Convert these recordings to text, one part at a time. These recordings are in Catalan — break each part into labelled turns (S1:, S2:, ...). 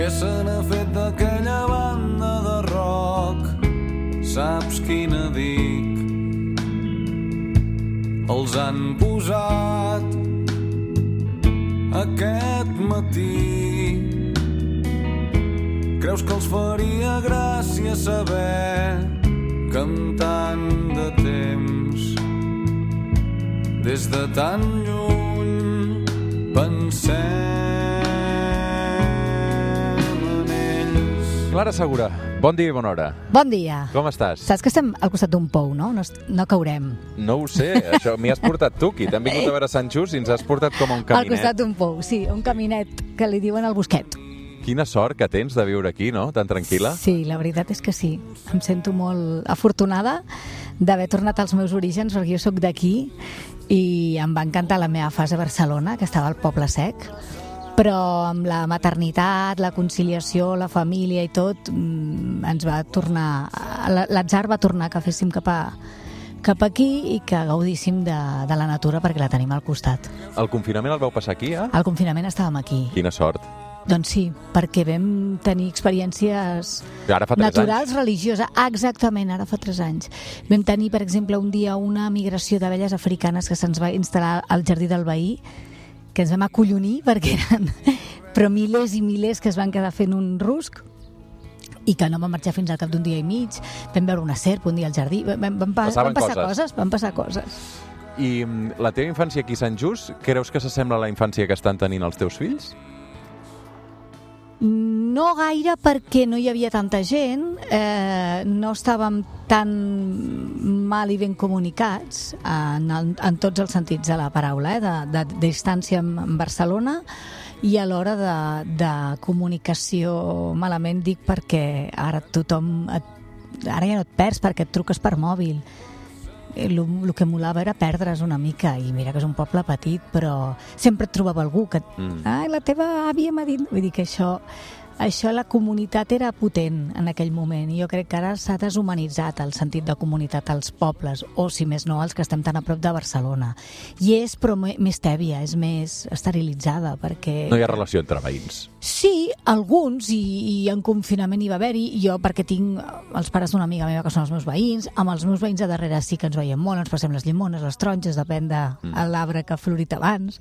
S1: què se n'ha fet d'aquella banda de rock? Saps quina dic? Els han posat aquest matí. Creus que els faria gràcia saber que amb tant de temps, des de tan lluny, pensem en ells?
S2: Clara Segura, bon dia i bona hora.
S3: Bon dia.
S2: Com estàs?
S3: Saps que estem al costat d'un pou, no? No caurem.
S2: No ho sé, això m'hi has portat tu, qui t'hem vingut a veure a Sant Just i ens has portat com a un caminet.
S3: Al costat d'un pou, sí, un caminet que li diuen el Bosquet.
S2: Quina sort que tens de viure aquí, no? Tan tranquil·la.
S3: Sí, la veritat és que sí. Em sento molt afortunada d'haver tornat als meus orígens, perquè jo sóc d'aquí i em va encantar la meva fase a Barcelona, que estava al Poble Sec, però amb la maternitat, la conciliació, la família i tot, ens va tornar... L'atzar va tornar que féssim cap aquí i que gaudíssim de la natura perquè la tenim al costat.
S2: El confinament el vau passar aquí, eh?
S3: Al confinament estàvem aquí.
S2: Quina sort.
S3: Doncs sí, perquè vam tenir experiències naturals, religioses. Exactament, ara fa 3 anys. Vam tenir, per exemple, un dia una migració d'abelles africanes que se'ns va instal·lar al jardí del veí, que ens vam acollonir perquè eren però milers i milers que es van quedar fent un rusc i que no van marxar fins al cap d'un dia i mig. Vam veure una serp un dia al jardí. Van passar coses.
S2: I la teva infància aquí a Sant Just, creus que s'assembla a la infància que estan tenint els teus fills?
S3: No gaire, perquè no hi havia tanta gent, no estàvem tan mal i ben comunicats en tots els sentits de la paraula, de distància amb Barcelona, i a l'hora de comunicació malament dic perquè ara ara ja no et perds perquè et truques per mòbil. El que molava era perdre's una mica, i mira que és un poble petit, però sempre et trobava algú que la teva àvia m'ha dit, vull dir que això la comunitat era potent en aquell moment, i jo crec que ara s'ha deshumanitzat el sentit de comunitat als pobles, o si més no els que estem tan a prop de Barcelona, i és però més tèbia, és més esterilitzada, perquè...
S2: No hi ha relació entre veïns.
S3: Sí, alguns, i en confinament hi va haver-hi, jo perquè tinc els pares d'una amiga meva que són els meus veïns, amb els meus veïns de darrere sí que ens veiem molt, ens passem les llimones, les taronges, depèn de l'arbre que ha florit abans,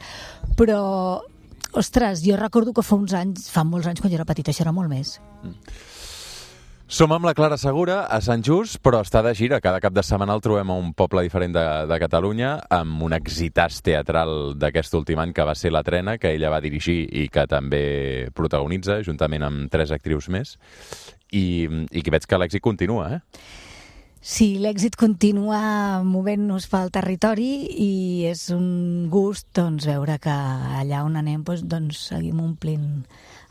S3: però, ostres, jo recordo que fa molts anys, quan jo era petita, això era molt més.
S2: Som amb la Clara Segura a Sant Just, però està de gira. Cada cap de setmana el trobem a un poble diferent de Catalunya, amb un exitàs teatral d'aquest últim any que va ser La Trena, que ella va dirigir i que també protagonitza, juntament amb 3 actrius més, i que veig que l'èxit continua, eh?
S3: Sí, l'èxit continua movent-nos pel territori i és un gust veure que allà on anem seguim omplint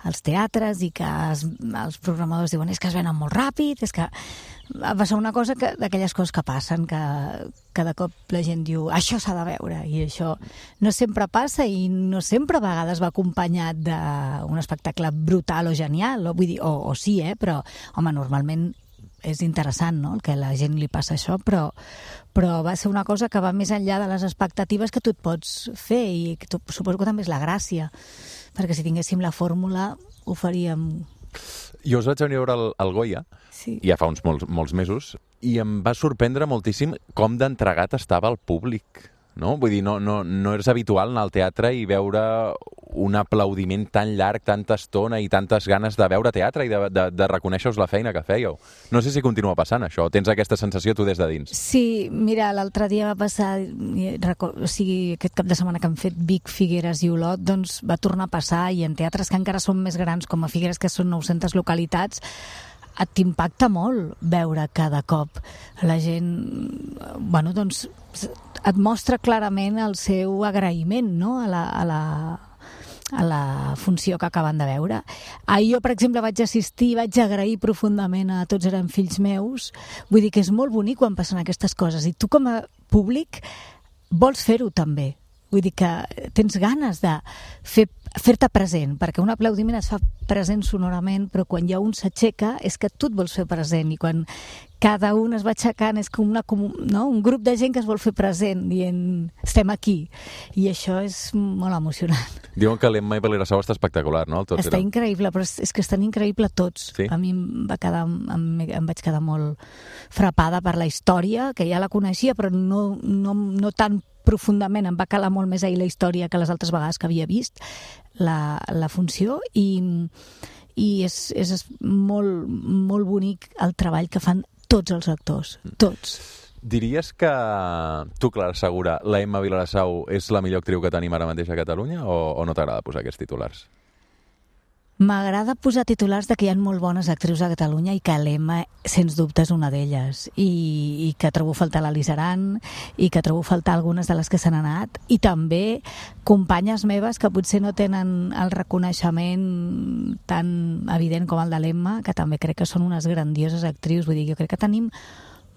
S3: els teatres i que els programadors diuen és que es venen molt ràpid, és que va ser una cosa d'aquelles coses que passen, que de cop la gent diu això s'ha de veure, i això no sempre passa i no sempre a vegades va acompanyat d'un espectacle brutal o genial, vull dir, o sí, però home, normalment és interessant, no?, el que a la gent li passa això, però va ser una cosa que va més enllà de les expectatives que tu et pots fer, i que suposo que també és la gràcia, perquè si tinguéssim la fórmula ho faríem.
S2: Jo us vaig venir a veure el Goya, sí, ja fa uns molts mesos, i em va sorprendre moltíssim com d'entregat estava el públic, no? Vull dir, no és habitual anar al teatre i veure un aplaudiment tan llarg, tanta estona i tantes ganes de veure teatre i de reconèixer-vos la feina que fèieu. No sé si continua passant això, tens aquesta sensació tu des de dins?
S3: Sí, mira, l'altre dia va passar, aquest cap de setmana que han fet Vic, Figueres i Olot, doncs va tornar a passar, i en teatres que encara són més grans, com a Figueres, que són 900 localitats, t'impacta molt veure cada cop la gent, bueno, doncs et mostra clarament el seu agraïment, no?, a la funció que acaben de veure. Jo, per exemple, vaig assistir, vaig agrair profundament a Tots eren fills meus. Vull dir que és molt bonic quan passen aquestes coses, i tu com a públic vols fer-ho també. vull dir que tens ganes de fer-te present, perquè un aplaudiment es fa present sonorament, però quan hi ha un s'aixeca és que tu et vols fer present, i quan cada un es va aixecant és com un grup de gent que es vol fer present dient estem aquí, i això és molt emocionant.
S2: Diuen que l'Emma i Vilassau està espectacular, no?
S3: Està increïble, però és que estan increïbles tots.
S2: Sí?
S3: A mi em vaig quedar molt frapada per la història, que ja la coneixia, però no tan profundament. Em va calar molt més ahir la història que les altres vegades que havia vist la funció, i és molt, molt bonic el treball que fan tots els actors, tots.
S2: Diries que tu, Clara Segura, la Emma Vilassau és la millor actriu que tenim ara mateix a Catalunya, o no t'agrada posar aquests titulars?
S3: M'agrada posar titulars de que hi ha molt bones actrius a Catalunya i que l'Emma, sens dubte, és una d'elles. I que trobo faltar l'Alice Aran, i que trobo faltar algunes de les que s'han anat, i també companyes meves que potser no tenen el reconeixement tan evident com el de l'Emma, que també crec que són unes grandioses actrius. Vull dir, jo crec que tenim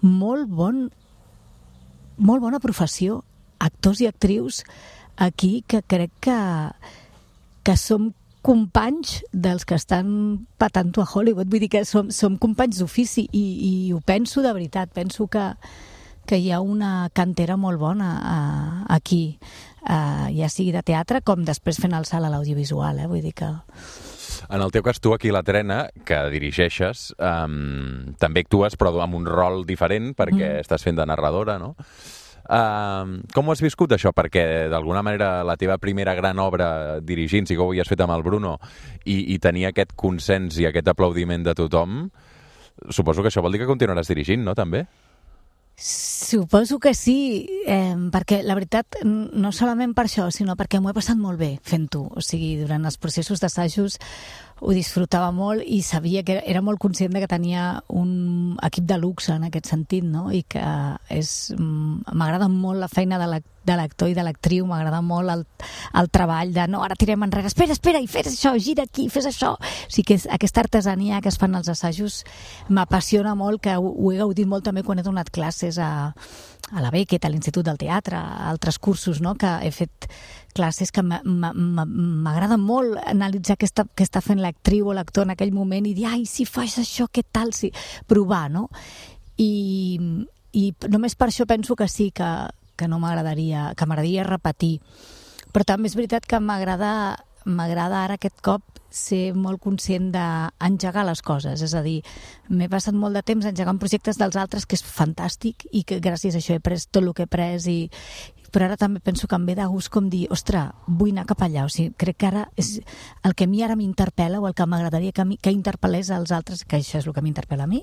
S3: molt bona professió, actors i actrius aquí, que crec que som companys dels que estan patant-ho a Hollywood. Vull dir que som companys d'ofici, i ho penso de veritat. Penso que hi ha una cantera molt bona aquí, ja sigui de teatre com després fent el salt a l'audiovisual. Vull dir que...
S2: En el teu cas, tu aquí a la Trena, que dirigeixes, també actues, però amb un rol diferent, perquè estàs fent de narradora, no? Com ho has viscut, això? Perquè, d'alguna manera, la teva primera gran obra dirigint, si que ho havies fet amb el Bruno, i tenir aquest consens i aquest aplaudiment de tothom, suposo que això vol dir que continuaràs dirigint, no, també?
S3: Suposo que sí, perquè la veritat, no solament per això, sinó perquè m'ho he passat molt bé fent-ho. O sigui, durant els processos d'assajos ho disfrutava molt, i sabia que era molt conscient de que tenia un equip de luxe en aquest sentit, no? I que m'agrada molt la feina de l'actor i de l'actriu, m'agrada molt el treball de no, ara tirem enrere, espera, i fes això, gira aquí, fes això. O sigui, que aquesta artesania que es fan als assajos m'apassiona molt, que ho he gaudit molt també quan he donat classes a la Beckett, a l'Institut del Teatre, a altres cursos, no?, que he fet classes que m'agrada molt analitzar què està fent l'actriu o l'actor en aquell moment, i dir, ai, si fas això, què tal? Sí, provar, no? I només per això penso que sí, que no m'agradaria repetir. Però també és veritat que m'agrada ara aquest cop ser molt conscient d'engegar les coses. És a dir, m'he passat molt de temps engegant projectes dels altres, que és fantàstic, i que gràcies a això he pres tot el que he pres, però ara també penso que em ve de gust com dir, ostres, vull anar cap allà. O sigui, crec que ara és el que a mi ara m'interpel·la, o el que m'agradaria que interpel·lés als altres, que això és el que m'interpel·la a mi,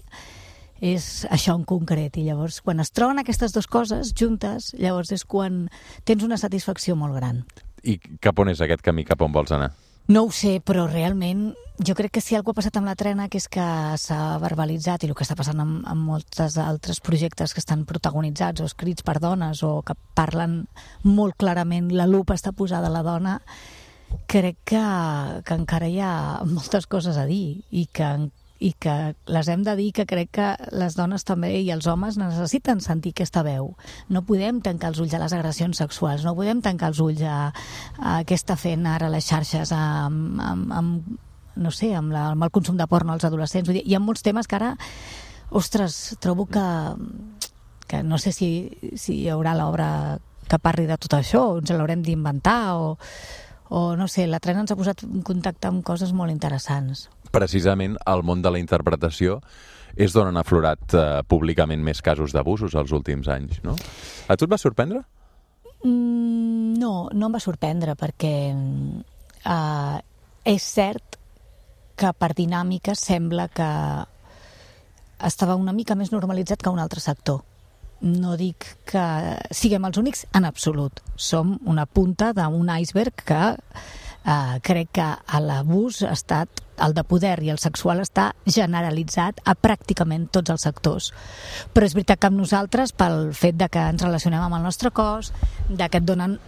S3: és això en concret. I llavors, quan es troben aquestes dues coses juntes, llavors és quan tens una satisfacció molt gran.
S2: I cap on és aquest camí, cap on vols anar?
S3: No ho sé, però realment jo crec que si alguna cosa ha passat amb la Trena, que és que s'ha verbalitzat, i el que està passant amb molts altres projectes que estan protagonitzats o escrits per dones, o que parlen molt clarament, la lupa està posada a la dona, crec que encara hi ha moltes coses a dir, i que les hem de dir, que crec que les dones també i els homes necessiten sentir aquesta veu. No podem tancar els ulls a les agressions sexuals, no podem tancar els ulls a què està fent ara les xarxes no sé, amb el consum de porno als adolescents. Vull dir, hi ha molts temes que ara, ostres, trobo que no sé si hi haurà l'obra que parli de tot això, o ens l'haurem d'inventar, o no sé, la Trena ens ha posat en contacte amb coses molt interessants.
S2: Precisament el món de la interpretació és d'on han aflorat públicament més casos d'abusos els últims anys, no? A tu et va sorprendre?
S3: No em va sorprendre, perquè és cert que per dinàmica sembla que estava una mica més normalitzat que un altre sector. No dic que siguem els únics en absolut. Som una punta d'un iceberg que crec que l'abús ha estat, el de poder i el sexual està generalitzat a pràcticament tots els sectors. Però és veritat que amb nosaltres, pel fet de que ens relacionem amb el nostre cos, de que et donen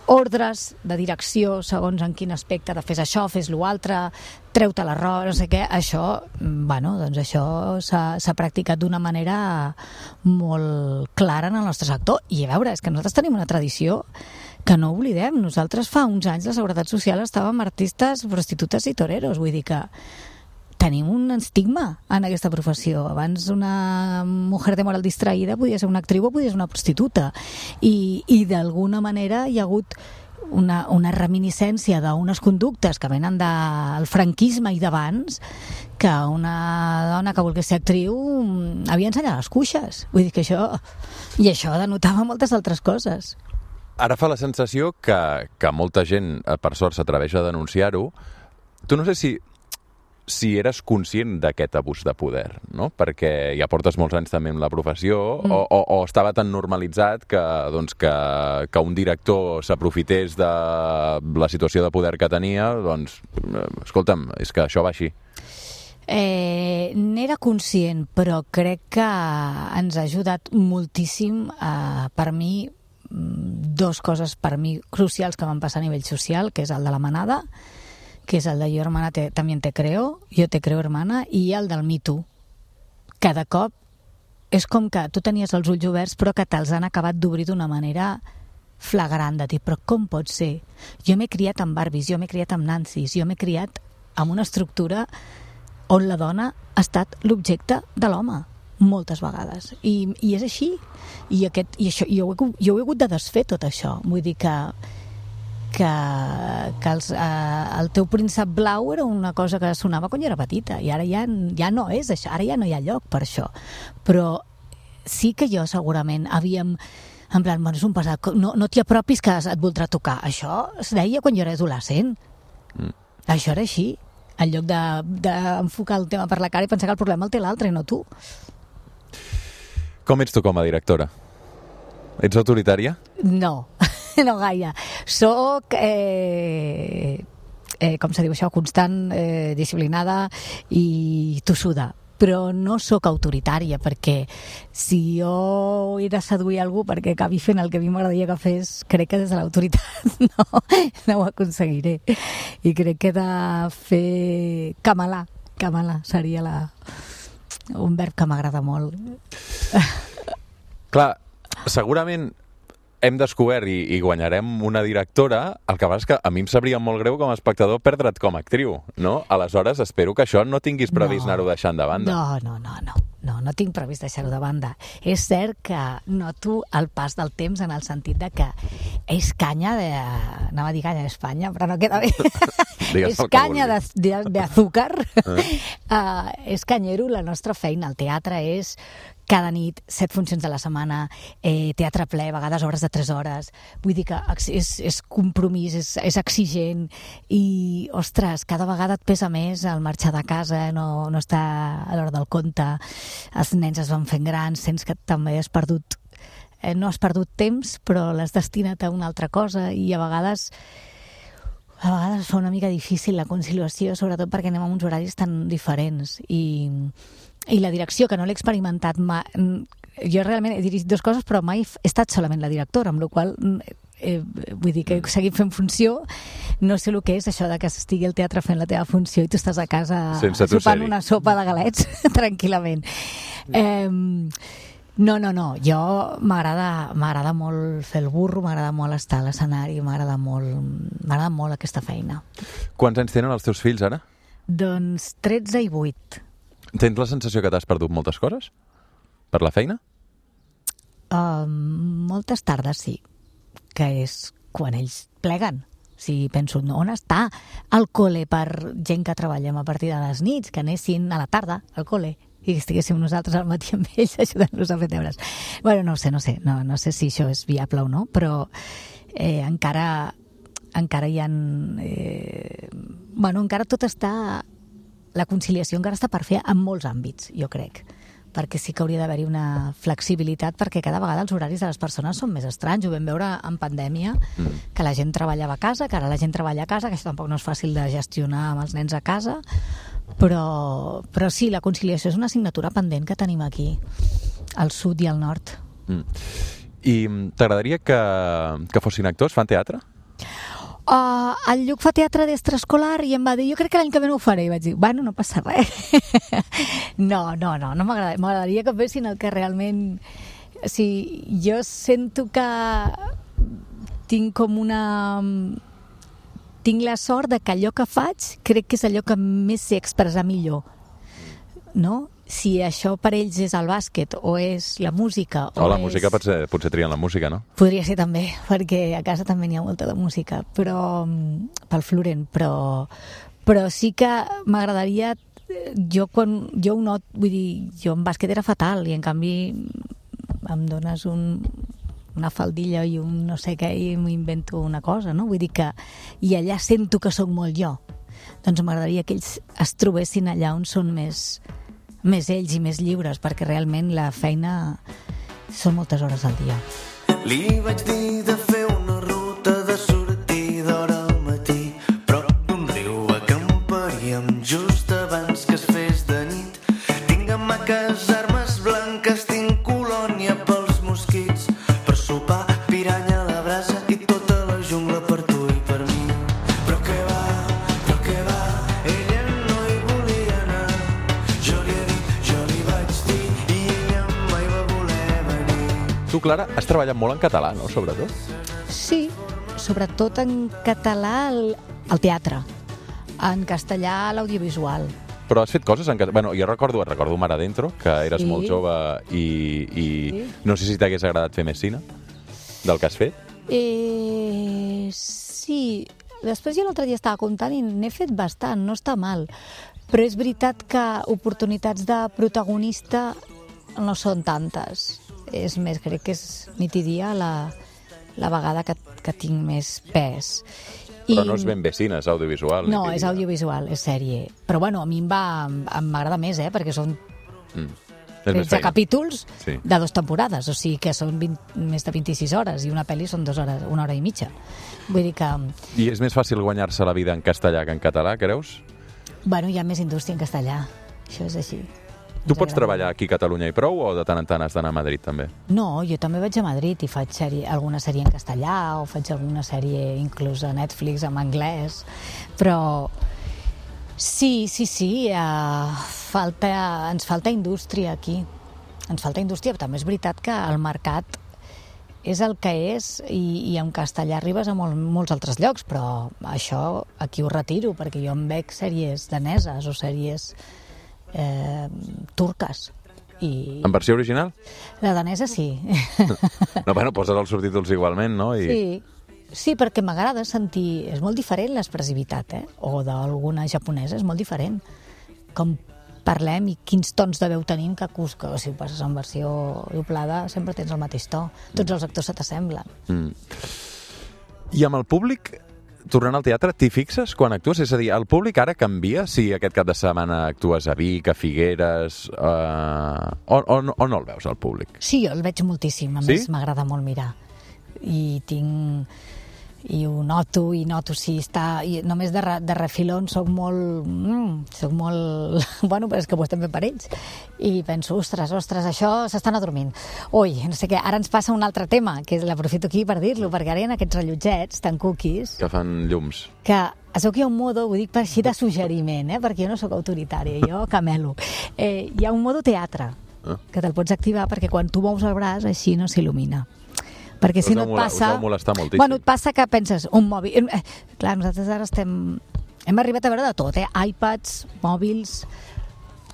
S3: ordres de direcció segons en quin aspecte de fes això, fes l'altre, treu-te l'error, no sé què. Això, doncs això s'ha practicat d'una manera molt clara en el nostre sector. I a veure, és que nosaltres tenim una tradició que no oblidem. Nosaltres fa uns anys la Seguretat Social estàvem artistes, prostitutes i toreros. Vull dir que tenim un estigma en aquesta professió. Abans una mujer de moral distraïda podia ser una actriu o podia ser una prostituta. I d'alguna manera hi ha hagut una reminiscència d'unes conductes que venen del franquisme i d'abans, que una dona que volgués ser actriu havia ensenyat les cuixes. Vull dir que això denotava moltes altres coses.
S2: Ara fa la sensació que molta gent, per sort, s'atreveix a denunciar-ho. Tu no sé si eres conscient d'aquest abús de poder, no? Perquè ja portes molts anys també en la professió, o estava tan normalitzat que un director s'aprofités de la situació de poder que tenia, doncs, escolta'm, és que això va així.
S3: N'era conscient, però crec que ens ha ajudat moltíssim, per mi, dues coses per mi crucials que van passar a nivell social, que és el de la manada, que és el de yo hermana también te creo, yo te creo hermana, i el del Me Too. Cada cop és com que tu tenies els ulls oberts però que te'ls han acabat d'obrir d'una manera flagrant, de dir, però com pot ser? Jo m'he criat amb Barbies, jo m'he criat amb Nancys, jo m'he criat amb una estructura on la dona ha estat l'objecte de l'home moltes vegades, i és així, i jo he hagut de desfer tot això. Vull dir que el teu príncep blau era una cosa que sonava quan jo era petita, i ara ja no és això, ara ja no hi ha lloc per això. Però sí que jo segurament havíem, en plan, és un passat, no t'hi apropis que et voldrà tocar. Això es deia quan jo era adolescent. Això era així, en lloc d'enfocar el tema per la cara i pensar que el problema el té l'altre i no tu.
S2: Com ets tu com a directora? Ets autoritària?
S3: No. No gaire. Soc, com se diu això, constant, disciplinada i tossuda. Però no sóc autoritària, perquè si jo he de seduir algú perquè acabi fent el que a mi m'agradaria que fes, crec que des de l'autoritat no ho aconseguiré. I crec que he de fer camelar seria un verb que m'agrada molt.
S2: Clar, segurament hem descobert i guanyarem una directora. El que passa és que a mi em sabria molt greu com a espectador perdre't com a actriu, no? Aleshores, espero que això no tinguis previst anar-ho deixant de banda.
S3: No tinc previst deixar-ho de banda. És cert que noto el pas del temps en el sentit de que és canya anava a dir canya d'Espanya, però no queda bé. És canya d'azúcar. És canyero la nostra feina. El teatre és cada nit, 7 funcions de la setmana, teatre ple, a vegades obres de 3 hores. Vull dir que és compromís, és exigent i, ostres, cada vegada et pesa més el marxar de casa, no està a l'hora del compte, els nens es van fent grans, sents que també has perdut, no has perdut temps, però l'has destinat a una altra cosa, i a vegades fa una mica difícil la conciliació, sobretot perquè anem a uns horaris tan diferents. I la direcció, que no l'he experimentat mai. Jo realment he dirigit 2 coses, però mai he estat solament la directora, amb la qual vull dir que he seguit fent funció. No sé el que és això de que estigui al teatre fent la teva funció i tu estàs a casa sopant una sopa de galets tranquil·lament. No. Jo m'agrada molt fer el burro, m'agrada molt estar a l'escenari, m'agrada molt aquesta feina.
S2: Quants anys tenen els teus fills ara?
S3: Doncs 13 i 8.
S2: Tens la sensació que t'has perdut moltes coses? Per la feina?
S3: Moltes tardes, sí. Que és quan ells pleguen. Si penso, on està el col·le per gent que treballem a partir de les nits, que anessin a la tarda al col·le i estiguéssim nosaltres al matí amb ells ajudant-los a fer deures. Bueno, no sé si això és viable o no, però encara hi ha... encara tot està... La conciliació encara està per fer en molts àmbits, jo crec, perquè sí que hauria d'haver-hi una flexibilitat, perquè cada vegada els horaris de les persones són més estranys. Ho vam veure en pandèmia, que la gent treballava a casa, que ara la gent treballa a casa, que això tampoc no és fàcil de gestionar amb els nens a casa, però sí, la conciliació és una assignatura pendent que tenim aquí, al sud i al nord.
S2: I t'agradaria que fossin actors? Fan teatre?
S3: El Lluc fa teatre d'extraescolar i em va dir, jo crec que l'any que ve no ho faré. I vaig dir, bueno, no passa res. No m'agradaria. M'agradaria que fessin el que realment... O sigui, jo sento que tinc la sort de que allò que faig crec que és allò que més sé expressar millor. No? Si això per ells és el bàsquet o és la música...
S2: música potser trien la música, no?
S3: Podria ser també, perquè a casa també n'hi ha molta de música, però pel Florent, però sí que m'agradaria... Jo ho not, vull dir, jo en bàsquet era fatal i en canvi em dones una faldilla i un no sé què i m'invento una cosa, no? Vull dir que... I allà sento que sóc molt jo. Doncs m'agradaria que ells es trobessin allà on són més ells i més lliures, perquè realment la feina són moltes hores al dia.
S1: Li vaig dir de fer una ruta de sortida hora al matí, prop d'un riu acamparíem just abans que es fes de nit. Tinc hamaques, armes blanques, tinc colònia pels mosquits, per sopar piranya a la brasa i tota la jungla per tu i per mi. Però què va, ella no hi volia anar. Jo li vaig dir i ella mai va voler venir.
S2: Tu, Clara, has treballat molt en català, no?, sobretot?
S3: Sí, sobretot en català al teatre, en castellà l'audiovisual.
S2: Però has fet coses en català... Bueno, jo recordo Mar Adentro, que eres molt jove i no sé si t'hagués agradat fer més cine del que has fet.
S3: Sí, després jo l'altre dia estava comptant i n'he fet bastant, no està mal. Però és veritat que oportunitats de protagonista no són tantes. És més, crec que és nit i dia la vegada que tinc més pes.
S2: Però no és ben bé cine, és audiovisual.
S3: No, és audiovisual, és sèrie. Però bueno, a mi m'agrada més, perquè són 13 capítols de 2 temporades, o sigui que són més de 26 hores i una pel·li són 2 hores, 1 hora i mitja. Vull dir que...
S2: I és més fàcil guanyar-se la vida en castellà que en català, creus?
S3: Bueno, hi ha més indústria en castellà, això és així.
S2: Tu pots treballar aquí a Catalunya i prou o de tant en tant has d'anar a Madrid també?
S3: No, jo també vaig a Madrid i faig alguna sèrie en castellà o faig alguna sèrie inclús a Netflix en anglès, però sí, ens falta indústria aquí. Ens falta indústria, però també és veritat que el mercat és el que és i en castellà arribes a molts altres llocs, però això aquí ho retiro, perquè jo em veig sèries daneses o sèries turques.
S2: En versió original?
S3: La danesa sí.
S2: No, bueno, poses els subtítols igualment, no?
S3: Sí, perquè m'agrada sentir... És molt diferent l'expressivitat, o d'alguna japonesa, és molt diferent. Com parlem i quins tons de veu tenim, que si ho passes en versió doblada sempre tens el mateix to. Tots els actors se t'assemblen.
S2: I amb el públic... Tornant al teatre, t'hi fixes quan actues? És a dir, el públic ara canvia si aquest cap de setmana actues a Vic, a Figueres... O no el veus, el públic?
S3: Sí, jo el veig moltíssim. A més, m'agrada molt mirar. I ho noto, si està... I només de refilón soc molt... Bueno, però és que ho estem fent per ells. I penso, ostres, això s'estan adormint. Ui, no sé què, ara ens passa un altre tema, que l'aprofito aquí per dir-lo, perquè ara hi ha aquests rellotgets tan cookies...
S2: Que fan llums.
S3: Que es veu que hi ha un modo, ho dic per així de suggeriment, perquè jo no sóc autoritària, jo camelo. Hi ha un modo teatre, que te'l pots activar perquè quan tu mous el braç així no s'il·lumina. Perquè si no et passa...
S2: Us deu molestar moltíssim.
S3: Bueno, et passa que penses, un mòbil... Clar, nosaltres ara hem arribat a veure de tot, iPads, mòbils...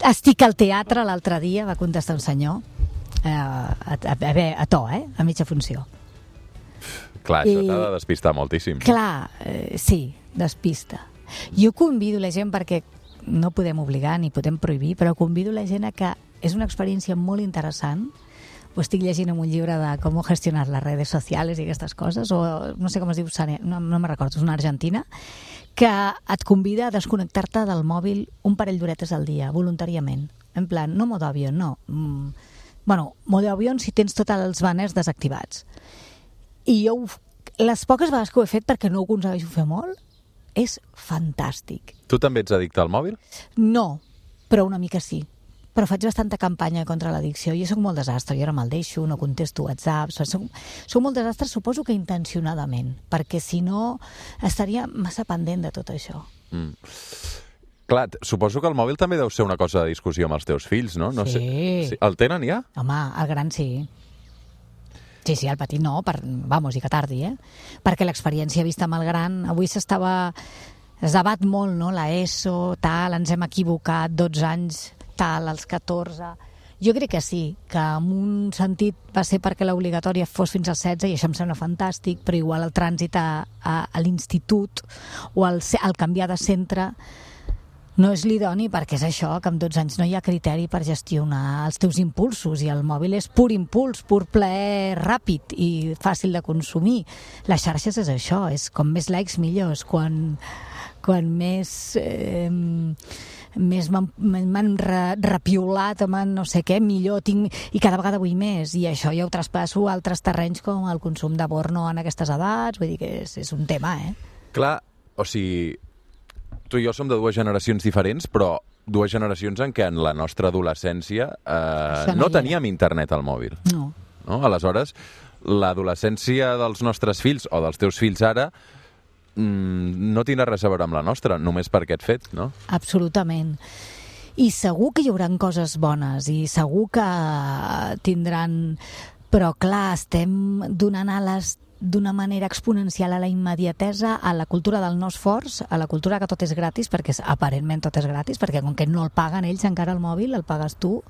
S3: Estic al teatre l'altre dia, va contestar un senyor, a to, a mitja funció.
S2: Clar, això t'ha de despistar moltíssim.
S3: Clar, sí, despista. Jo convido la gent, perquè no podem obligar ni podem prohibir, però convido la gent a que és una experiència molt interessant. Ho estic llegint en un llibre de com gestionar les redes socials i aquestes coses, o no sé com es diu, no me'n recordo, és una argentina, que et convida a desconnectar-te del mòbil un parell d'horetes al dia, voluntàriament. En plan, no modo avió, no. Bueno, modo avió si tens tots els banners desactivats. I jo, les poques vegades que ho he fet, perquè no ho aconsegueixo fer molt, és fantàstic.
S2: Tu també ets addicte al mòbil?
S3: No, però una mica sí. però faig bastanta campanya contra l'addicció. Jo soc molt desastre, jo ara me'l deixo, no contesto WhatsApp, soc molt desastre, suposo que intencionadament, perquè si no estaria massa pendent de tot això.
S2: Clar, suposo que el mòbil també deu ser una cosa de discussió amb els teus fills, no? No
S3: Sí.
S2: sé. El tenen ja?
S3: Home, el gran sí. Sí, el petit no, vamos, i que tardi, Perquè l'experiència vista amb el gran, avui es debat molt, no?, la ESO, tal, ens hem equivocat, 12 anys, tal, als 14... Jo crec que sí, que en un sentit va ser perquè l'obligatòria fos fins als 16 i això em sembla fantàstic, però igual el trànsit a l'institut o el canviar de centre no és l'idoni, perquè és això, que amb 12 anys no hi ha criteri per gestionar els teus impulsos i el mòbil és pur impuls, pur plaer ràpid i fàcil de consumir. Les xarxes és això, és com més likes millors, quan més m'han repiolat, no sé què, millor tinc, i cada vegada vull més, i això ja ho traspasso a altres terrenys com el consum de porno en aquestes edats, vull dir que és un tema,
S2: Clar, o sigui, tu i jo som de dues generacions diferents, però dues generacions en què en la nostra adolescència no teníem internet al mòbil.
S3: No.
S2: Aleshores, l'adolescència dels nostres fills o dels teus fills ara no tindrà res a veure amb la nostra, només per aquest fet, no?
S3: Absolutament. I segur que hi haurà coses bones i segur que tindran... Però clar, estem donant ales d'una manera exponencial a la immediatesa, a la cultura del no esforç, a la cultura que tot és gratis, perquè aparentment tot és gratis, perquè com que no el paguen ells encara el mòbil, el pagues tu,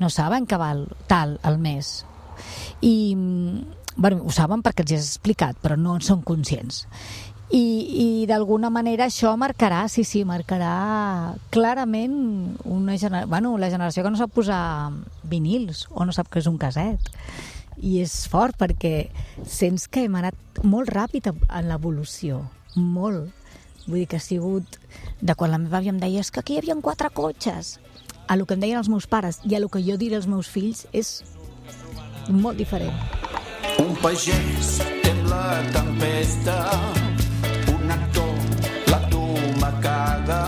S3: no saben que val tal al mes. I, bueno, ho saben perquè els he explicat, però no en són conscients. I d'alguna manera això marcarà clarament la generació que no sap posar vinils o no sap què és un caset. I és fort perquè sents que hem anat molt ràpid en l'evolució, molt. Vull dir que ha sigut de quan la meva àvia em deia que aquí hi havia 4 cotxes, a lo que em deien els meus pares i a lo que jo diré als meus fills és molt diferent.
S1: Un pagès tem la tempesta, un actor la tomacada,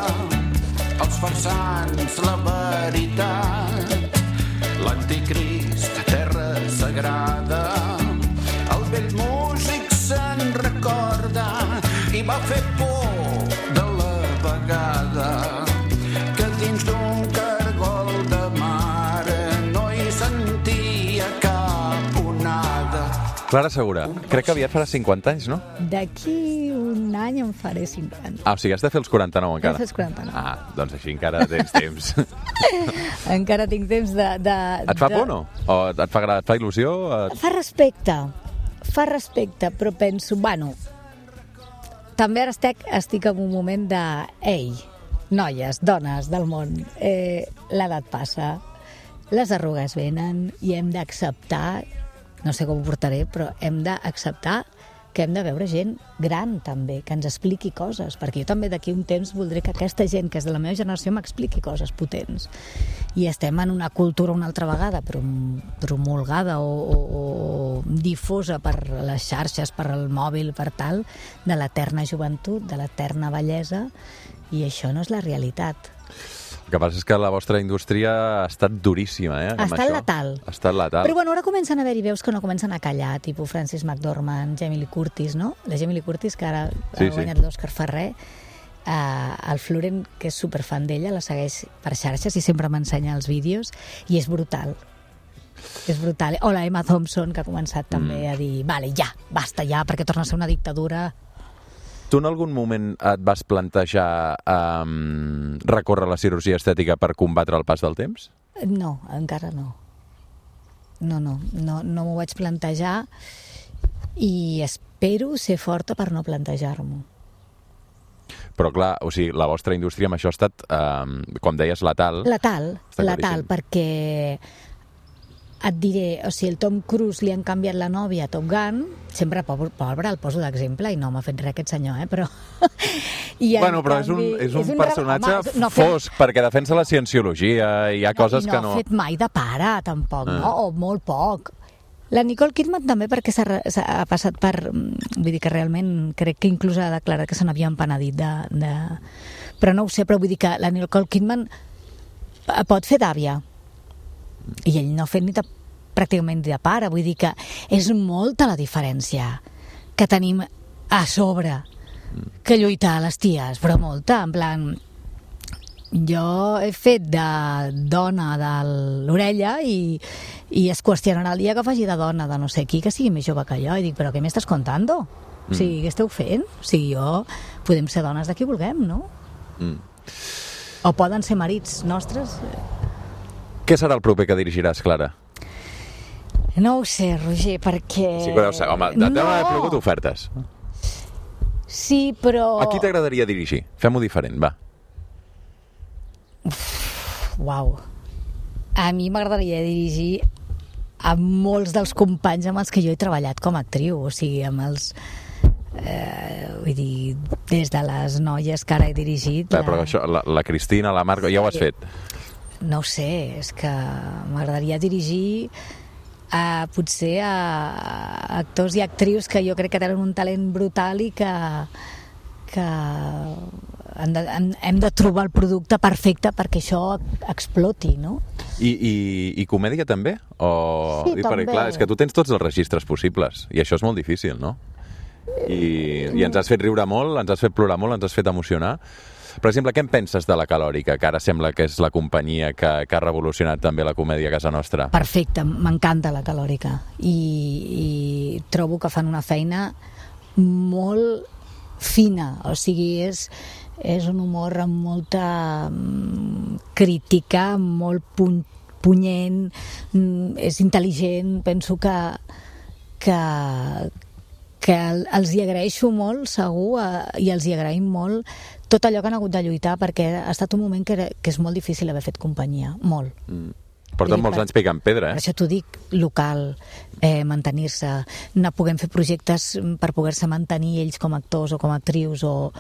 S1: els farsans la veritat, l'anticrist, terra sagrada, el vell músic se'n recorda i va fer por de la vegada que dins d'un cargol de mar no hi sentia cap onada.
S2: Clara Segura, crec que aviat farà 50 anys, no?
S3: D'aquí un any em faré 50.
S2: O sigui, has de fer els 49 encara.
S3: Has de fer els 49.
S2: Doncs així encara tens temps.
S3: Encara tinc temps de...
S2: Et fa por, no? O et fa il·lusió?
S3: Fa respecte, però penso, també ara estic en un moment de, ei, noies, dones del món, l'edat passa, les arrugues venen i hem d'acceptar, no sé com ho portaré, però hem d'acceptar que hem de veure gent gran també, que ens expliqui coses, perquè jo també d'aquí un temps voldré que aquesta gent que és de la meva generació m'expliqui coses potents. I estem en una cultura una altra vegada promulgada o difosa per les xarxes, per el mòbil, per tal, de l'eterna joventut, de l'eterna bellesa, i això no és la realitat.
S2: El que passa és que la vostra indústria ha estat duríssima,
S3: Ha estat letal.
S2: Ha estat letal.
S3: Però bueno, ara comencen a haver-hi veus que no comencen a callar, tipus Frances McDormand, Jamie Lee Curtis, no? La Jamie Lee Curtis, que ara ha guanyat l'Òscar Ferrer, el Florent, que és superfan d'ella, la segueix per xarxes i sempre m'ensenya els vídeos, i és brutal. És brutal. O la Emma Thompson, que ha començat també a dir, vale, ja, basta ja, perquè torna a ser una dictadura.
S2: Tu en algun moment et vas plantejar recórrer a la cirurgia estètica per combatre el pas del temps?
S3: No, encara no. No m'ho vaig plantejar i espero ser forta per no plantejar-m'ho.
S2: Però clar, o sigui, la vostra indústria amb això ha estat, com deies, letal.
S3: Letal, perquè et diré, o sigui, el Tom Cruise li han canviat la nòvia a Top Gun, sempre pobre el poso d'exemple i no m'ha fet res aquest senyor, però...
S2: Bueno, però és un personatge fosc, perquè defensa la cienciologia i hi ha coses que no...
S3: I no ha fet mai de pare, tampoc, no? O molt poc. La Nicole Kidman també, perquè ha passat per... Vull dir que realment crec que inclús ha declarat que se n'havia empenedit de... Però no ho sé, però vull dir que la Nicole Kidman pot fer d'àvia, I ell no ha fet pràcticament de pare, vull dir que és molta la diferència que tenim a sobre que lluitar a les ties, però molta, en plan, jo he fet de dona de l'orella i es qüestionarà el dia que faci de dona de no sé qui, que sigui més jove que jo, i dic, però què m'estàs contando? O sigui, què esteu fent? O sigui, podem ser dones de qui vulguem, no? O poden ser marits nostres.
S2: Què serà el proper que dirigiràs, Clara?
S3: No ho sé, Roger, perquè...
S2: Sí que ho deu ser. Home, deuen haver plogut ofertes.
S3: Sí, però...
S2: A qui t'agradaria dirigir? Fem-ho diferent, va.
S3: Uau. A mi m'agradaria dirigir a molts dels companys amb els que jo he treballat com a actriu, o sigui, amb els... vull dir, des de les noies que ara he dirigit...
S2: Però això, la Cristina, la Marco, ja ho has fet.
S3: No ho sé, és que m'agradaria dirigir potser a actors i actrius que jo crec que tenen un talent brutal i que hem de trobar el producte perfecte perquè això exploti, no?
S2: I comèdia també?
S3: Sí, també.
S2: Perquè, clar, és que tu tens tots els registres possibles i això és molt difícil, no? I ens has fet riure molt, ens has fet plorar molt, ens has fet emocionar. Per exemple, què en penses de La Calòrica, que ara sembla que és la companyia que ha revolucionat també la comèdia a casa nostra?
S3: Perfecte, m'encanta La Calòrica i trobo que fan una feina molt fina, o sigui, és un humor amb molta crítica, molt punyent, és intel·ligent, penso que els hi agraeixo molt, segur, i els hi agraïm molt tot allò que han hagut de lluitar, perquè ha estat un moment que és molt difícil haver fet companyia, molt.
S2: Porten molts anys picant pedra,
S3: Per això t'ho dic, local, mantenir-se, no puguem fer projectes per poder-se mantenir ells com a actors o com a actrius o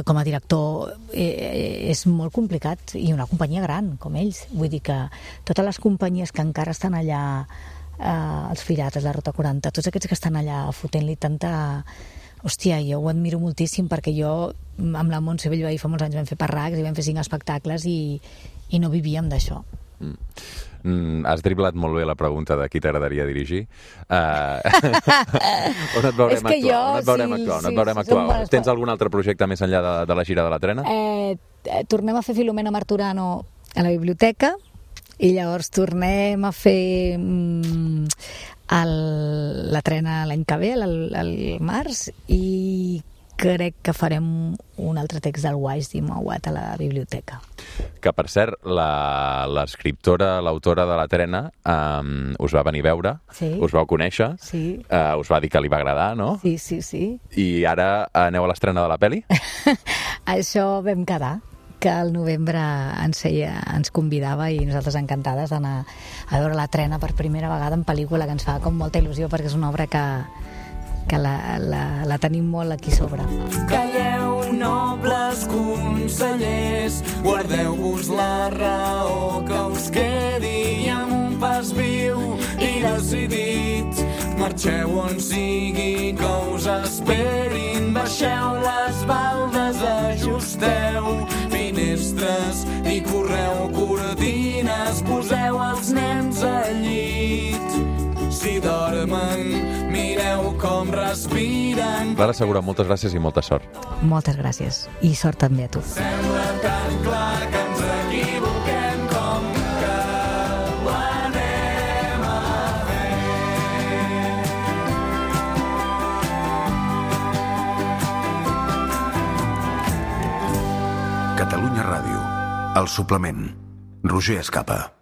S3: com a director, és molt complicat, i una companyia gran, com ells. Vull dir que totes les companyies que encara estan allà, els Pirates, la Rota 40, tots aquests que estan allà fotent-li tanta... Hòstia, jo ho admiro moltíssim, perquè jo amb la Montse Bellvei fa molts anys vam fer parracs i vam fer 5 espectacles i no vivíem d'això.
S2: Has driblat molt bé la pregunta de qui t'agradaria dirigir. On et veurem actuar? Tens algun altre projecte més enllà de la gira de la trena?
S3: Tornem a fer Filomena Marturano a la biblioteca i llavors tornem a fer la trena l'any que ve, al març, i crec que farem un altre text del Wise Dimawat a la biblioteca.
S2: Que, per cert, l'escriptora, l'autora de la trena, us va venir a veure, us vau conèixer, us va dir que li va agradar, no?
S3: Sí.
S2: I ara aneu a l'estrena de la pel·li?
S3: Això vam quedar, que al novembre ens convidava i nosaltres encantades d'anar a veure la trena per primera vegada en pel·lícula, que ens fa com molta il·lusió perquè és una obra que la tenim molt aquí sobre.
S1: Calleu, nobles consellers, guardeu-vos la raó que us quedi amb un pas viu i decidit. Marxeu on sigui que us esperin, baixeu les baldes, ajusteu finestres i correu cortines, poseu els nens al llit. Si dormen, mireu com respiren.
S2: Clara Segura, moltes gràcies i molta sort.
S3: Moltes gràcies. I sort també a tu.
S1: Sembla tan clar que ens equivoquem com que ho anem a fer.
S4: Catalunya Ràdio. El suplement. Roger Escapa.